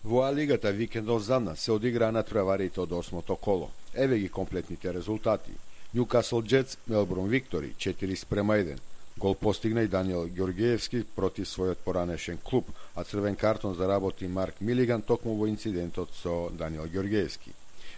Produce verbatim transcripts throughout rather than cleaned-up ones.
Во А лигата викендов за нас се одиграа натпреварите од осмото коло. Еве ги комплетните резултати. Ньюкасл Джетс, Мелбурн Виктори четири спрема еден. Гол постигна и Даниел Ѓоргиевски против својот поранешен клуб, а црвен картон заработи Марк Милиган токму во инцидентот со Даниел Ѓоргиевски.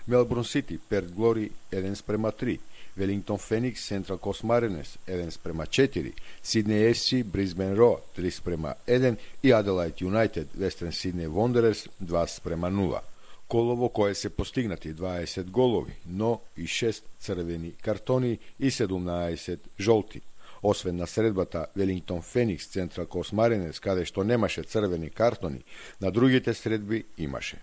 Мелбурн Сити, Перт Глори еден спрема три. Велингтон Феникс, Сентрал Кост Маринерс еден спрема четири, Сиднеј Еф Си, Брисбен Роа три спрема еден и Аделајд Юнајтед, Вестерн Сиднеј Вондерерс два спрема нула. Коло во кое се постигнати дваесет голови, но и шест црвени картони и седумнаесет жолти. Освен на средбата Велингтон Феникс, Сентрал Кост Маринерс, каде што немаше црвени картони, на другите средби имаше.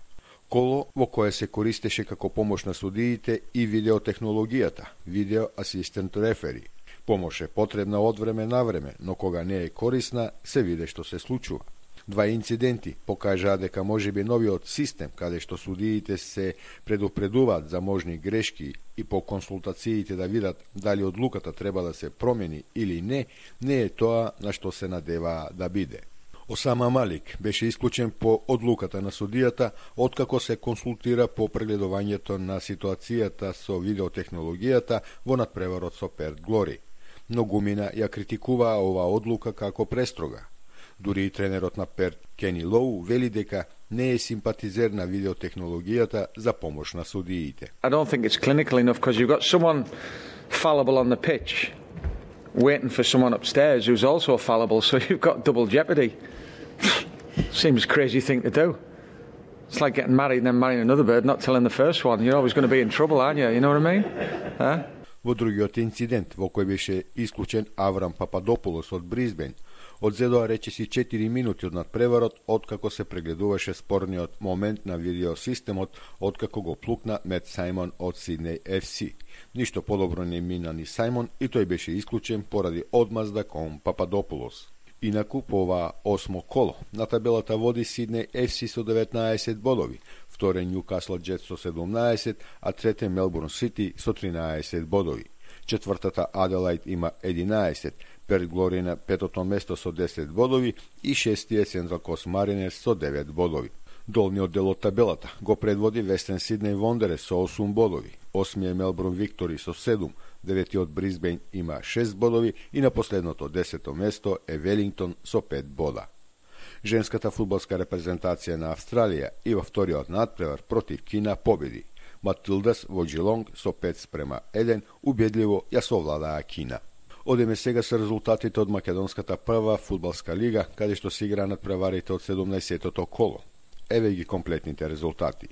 Коло во кое се користеше како помош на судиите и видеотехнологијата, видео асистент рефери. Помош е потребна од време на време, но кога не е корисна, се виде што се случува. Два инциденти покажаа дека можеби новиот систем, каде што судиите се предупредуваат за можни грешки и по консултациите да видат дали одлуката треба да се промени или не, не е тоа на што се надеваа да биде. Осама Малик беше исклучен по одлуката на судијата откако се консултира по прегледувањето на ситуацијата со видеотехнологијата во надпреварот со Перт Глори. Многумина ја критикуваа оваа одлука како престрога. Дури и тренерот на Перт Кени Лоу вели дека не е симпатизер на видеотехнологијата за помош на судиите. I don't think it's clinical enough because you've got someone fallible on the pitch waiting for someone upstairs who's also fallible, so you've got double jeopardy. Seems a crazy thing to do. It's like getting married and then marrying another bird, not telling the first one. You're always going to be in trouble, aren't you? You know what I mean? Huh? Во другиот инцидент, во кој беше исклучен Аврам Пападополос од Брисбен, одзедоа речиси четири минути од надпреварот откако се прегледуваше спорниот момент на видеосистемот откако го плукна Мет Сајмон од Сиднеј Еф Си. Ништо подобро не мина ни Сајмон и тој беше исклучен поради одмазда кон Пападополос. Инаку по оваа осмо коло на табелата води Сиднеј Еф Си со деветнаесет бодови, вторен Ньюкасл Джетс со седумнаесет, а третен Мелбурн Сити со тринаесет бодови. Четвртата Аделајд има единаесет, Перт Глори на петото место со десет бодови и шестиот Сентрал Кост Маринерс со девет бодови. Долниот дел од табелата го предводи Вестерн Сиднеј Вондерерс со осум бодови, осмиот Мелбурн Виктори со седум, деветиот Брисбен има шест бодови и на последното десето место е Велингтон со пет бода. Женската фудбалска репрезентација на Австралија и во вториот надпревар против Кина победи. Матилдас во Джилонг со пет спрема еден убедливо ја совладаа Кина. Одеме сега со резултатите од Македонската прва фудбалска лига, каде што се игра надпреварите од седумнаесетото коло. Еве ги комплетните резултати.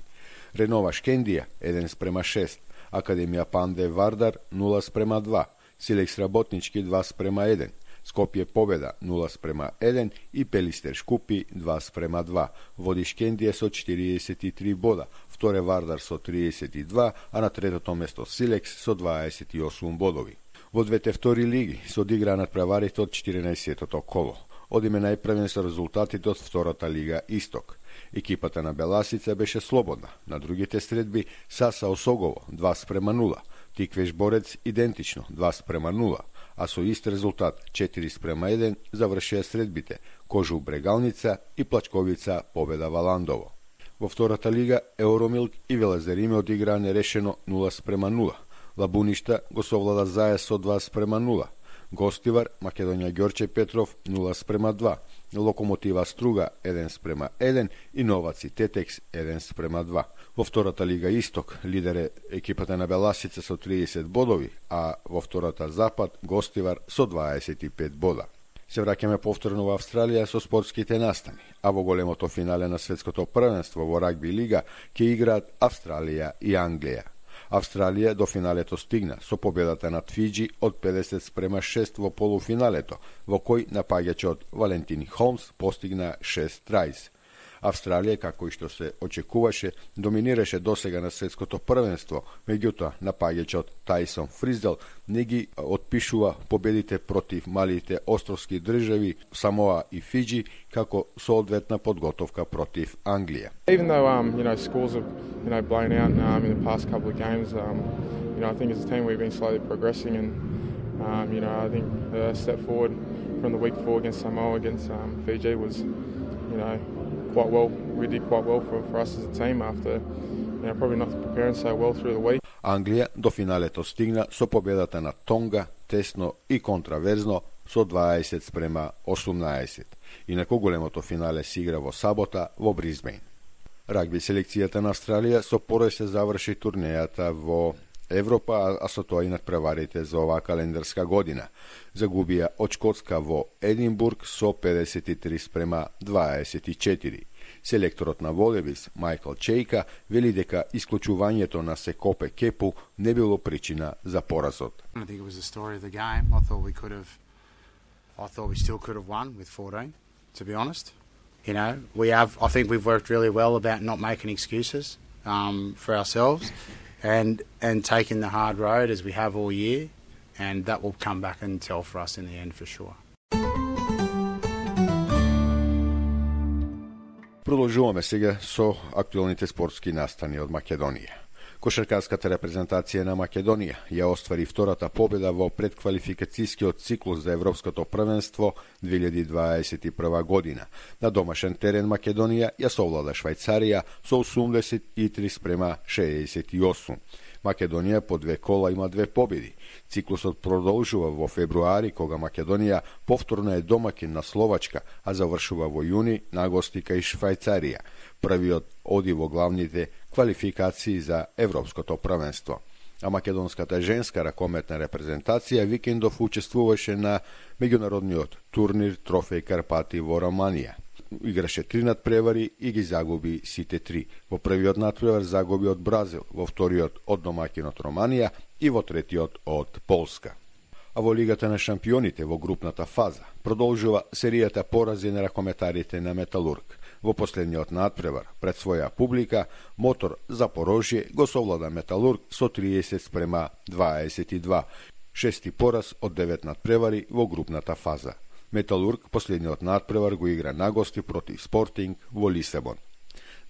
Ренова Шкендија еден спрема шест, Академија Панде Вардар нула спрема два, Силекс Работнички два спрема еден, Скопје Победа нула спрема еден и Пелистер Шкупи два спрема два. Води Шкендија со четириесет и три бода, вторе Вардар со триесет и два, а на третото место Силекс со дваесет и осум бодови. Во двете втори лиги се одиграа надпреварите од четиринаесетото коло. Одиме најпрвен со резултатите од втората лига Исток. Екипата на Беласица беше слободна. На другите средби Саса Осогово два спрема нула, Тиквеш Борец идентично два спрема нула, а со ист резултат четири спрема еден завршија средбите Кожу Брегалница и Плачковица Победа Валандово. Во втората лига Евромилк и Велезариме одиграа нерешено нула спрема нула. Лабуништа го совлада Заес со два спрема нула. Гостивар Македонија Ѓорче Петров нула спрема два. Локомотива Струга еден спрема еден и Новаци Тетекс еден спрема два. Во втората лига Исток лидер е екипата на Беласица со триесет бодови, а во втората Запад Гостивар со дваесет и пет бода. Се враќаме повторно во Австралија со спортските настани, а во големото финале на светското првенство во рагби лига ќе играат Австралија и Англија. Австралија до финалето стигна со победата над Фиџи од педесет спрема шест во полуфиналето, во кој напаѓачот Валентин Холмс постигна шест трајс. Австралија, како и што се очекуваше, доминираше досега на светското првенство, меѓутоа напаѓачот Тајсон Фриздел не ги отпишува победите против малите островски држави Самоа и Фиџи како соодветна подготовка против Англија. Even though um, you know, scores have you know, blown out um, in the past couple of games, um, you know, I think as a team we've been slowly progressing, and um, you know, I think the step forward from the week four against Samoa against um, Fiji was, you know, quite well. We did quite well for, for us as a team after, you know, probably not preparing so well through the week. Англија до финалето стигна со победата на Тонга, тесно и контраверзно со дваесет спрема осумнаесет. Инаку големото финале се игра во сабота во Бризбейн. Рагби селекцијата на Австралија со пореј се заврши турнејата во Европа, а со тоа и надпреварите за оваа календарска година. Загубија од Шкотска во Единбург со педесет и три спрема дваесет и четири. Селекторот на Волевис, Майкл Чейка, вели дека исклучувањето на Секопе Кепу не било причина за поразот. I think it was the story of the game. I thought we could have I thought we still could have won with fourteen, to be honest. You know, we have I think we've worked really well about not making excuses um, for ourselves and and taking the hard road as we have all year, and that will come back and tell for us in the end for sure. Продолжуваме сега со актуелните спортски настани од Македонија. Кошаркарската репрезентација на Македонија ја оствари втората победа во предквалификацијскиот циклус за Европското првенство две илјади дваесет и прва година. На домашен терен Македонија ја совлада Швајцарија со осумдесет и три спрема шеесет и осум. Македонија по две кола има две победи. Циклусот продолжува во февруари, кога Македонија повторно е домакин на Словачка, а завршува во јуни на гости кај Швајцарија. Првиот оди во главните квалификации за Европското првенство. А македонската женска ракометна репрезентација викендов учествуваше на меѓународниот турнир Трофеј Карпати во Романија. Играше три надпревари и ги загуби сите три. Во првиот надпревар загуби од Бразил, во вториот од домакинот Романија и во третиот од Полска. А во Лигата на шампионите во групната фаза продолжува серијата порази на ракометарите на Металург. Во последниот надпревар пред своја публика Мотор Запорожје го совлада Металург со триесет спрема дваесет и два, шести пораз од девет надпревари во групната фаза. Металург последниот надпревар го игра на гости против Спортинг во Лисабон.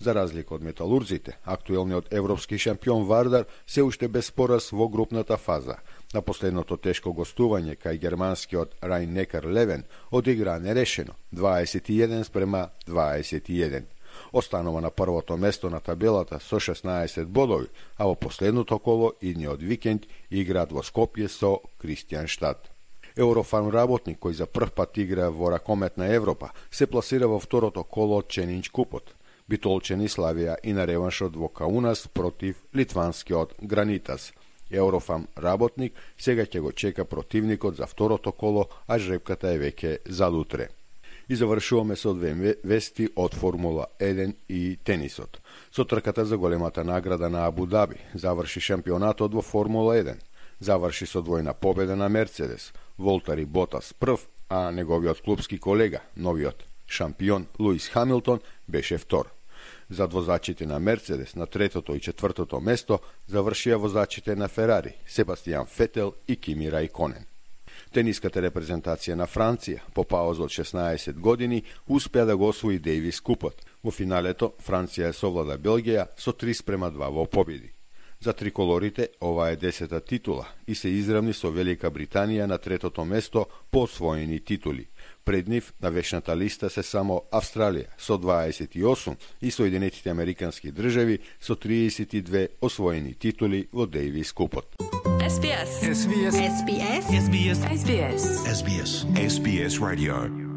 За разлика од металурзите, актуелниот европски шампион Вардар се уште без пораз во групната фаза. На последното тешко гостување кај германскиот Райн-Некар Левен одигра нерешено дваесет и еден спрема дваесет и еден. Останува на првото место на табелата со шеснаесет бодови, а во последното коло идниот викенд играат во Скопје со Кристијанштад. Еврофарм работник, кој за прв пат игра во ракометна Европа, се пласира во второто коло од Ченинч купот. Битолчени славија и на реваншот во Каунас против литванскиот Гранитас. Еврофарм работник сега ќе го чека противникот за второто коло, а жребката е веќе за утре. И завршуваме со две вести од Формула еден и тенисот. Со трката за големата награда на Абу Даби заврши шампионатот во Формула еден. Заврши со двојна победа на Мерцедес. Волтари Ботас прв, а неговиот клубски колега, новиот шампион Луис Хамилтон, беше втор. За возачите на Мерцедес на третото и четвртото место завршија возачите на Ферари, Себастијан Фетел и Кими Рајконен. Тениската репрезентација на Франција по пауза од шеснаесет години успеа да го освои Дејвис купот. Во финалето Франција совлада Белгија со три спрема два во победи. За триколорите ова е десета титула и се изравни со Велика Британија на третото место по освоени титули. Пред нив на вечната листа се само Австралија со дваесет и осум и Соединетите Американски држави со триесет и две освоени титули во Дејвис купот. S B S. S B S. S B S. S B S. S B S. S B S. S B S Radio.